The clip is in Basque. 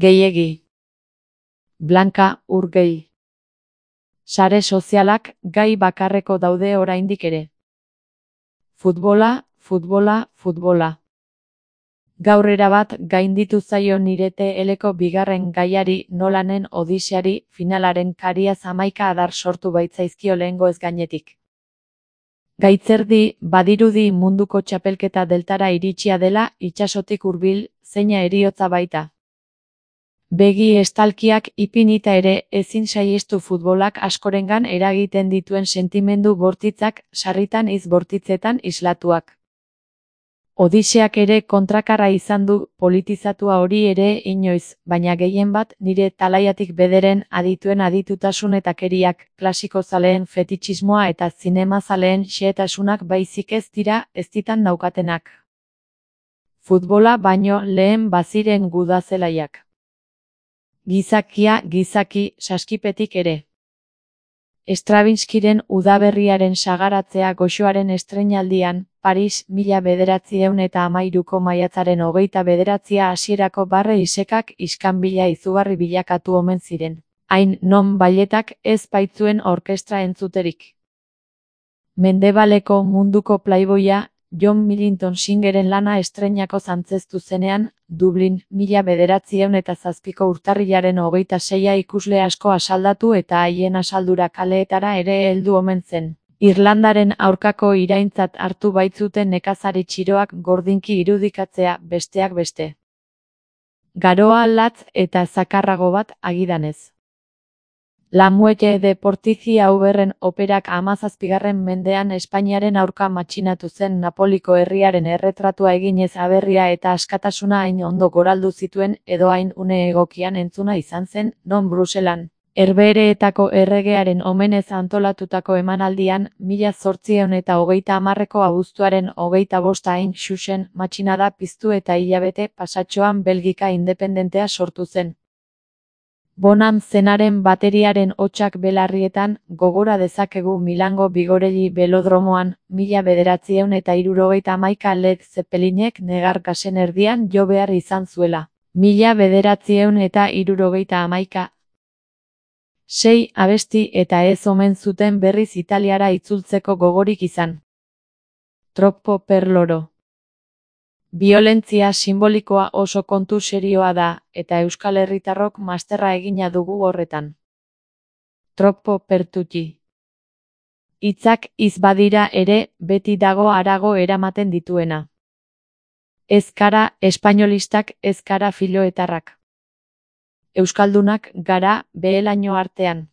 Gehiegi. Blanka Urgell. Sare sozialak gai bakarreko daude oraindik ere. Futbola, futbola, futbola. Gaur erabat gainditu zaio nire TLko bigarren gaiari, Nolanen Odiseari, finalaren kariaz 11 adar sortu baitzaizkio lehengoez gainetik. Gaitzerdi, badirudi munduko txapelketa deltara iritsia dela, itsasotik hurbil, zeina heriotza baita. Begi estalkiak ipinita ere, ezin saihestu futbolak askorengan eragiten dituen sentimendu bortitzak, sarritan hitz bortitzetan islatuak. Odiseak ere kontrakarra izan du, politizatua hori ere inoiz, baina gehienbat nire talaiatik bederen adituen aditutasun eta keriak, klasiko zaleen fetitxismoa eta zinema zaleen xehetasunak baizik ez dira ez ditan naukatenak. Futbola baino lehen baziren gudazelaiak. Gizakia, gizaki, saskipetik ere. Stravinskiren Udaberriaren sagaratzea goxoaren estreinaldian, Paris, 1913ko maiatzaren 29 hasierako barre isekak iskanbila izugarri bilakatu omen ziren. Hain non bailetak ez baitzuen orkestra entzuterik. Mendebaleko munduko playboya, John Millington Singeren lana estreinako zantzeztu zenean, Dublin, 1907ko urtarrilaren 26 ikusle asko asaldatu eta haien asaldura kaleetara ere heldu omen zen. Irlandaren aurkako iraintzat hartu baitzuten nekazari txiroak gordinki irudikatzea, besteak beste. Garoa latz eta zakarrago bat agidanez. La Muelle de Portici Auberren operak 17. mendean Espainiaren aurka matxinatu zen Napoliko herriaren erretratua eginez aberria eta askatasuna hain ondo goraldu zituen edo hain une egokian entzuna izan zen, non Bruselan. Herbehereetako erregearen omenez antolatutako emanaldian, 1830ko abuztuaren 25 hain xuxen matxinada piztu eta hilabete pasatxoan Belgika independentea sortu zen. Bonan zenaren bateriaren hotsak belarrietan, gogora dezakegu Milango Bigorelli belodromoan, 1971 Led Zeppelinek negar gasen erdian jo behar izan zuela. 1971. 6 abesti eta ez omen zuten berriz Italiara itzultzeko gogorik izan. Troppo per loro. Biolentzia simbolikoa oso kontu serioa da, eta Euskal Herritarrok masterra egina dugu horretan. Troppo per tutti. Hitzak hitz badira ere, beti dago harago eramaten dituena. Ez gara espainolistak, ez gara filoetarrak. Euskaldunak gara behelaino artean.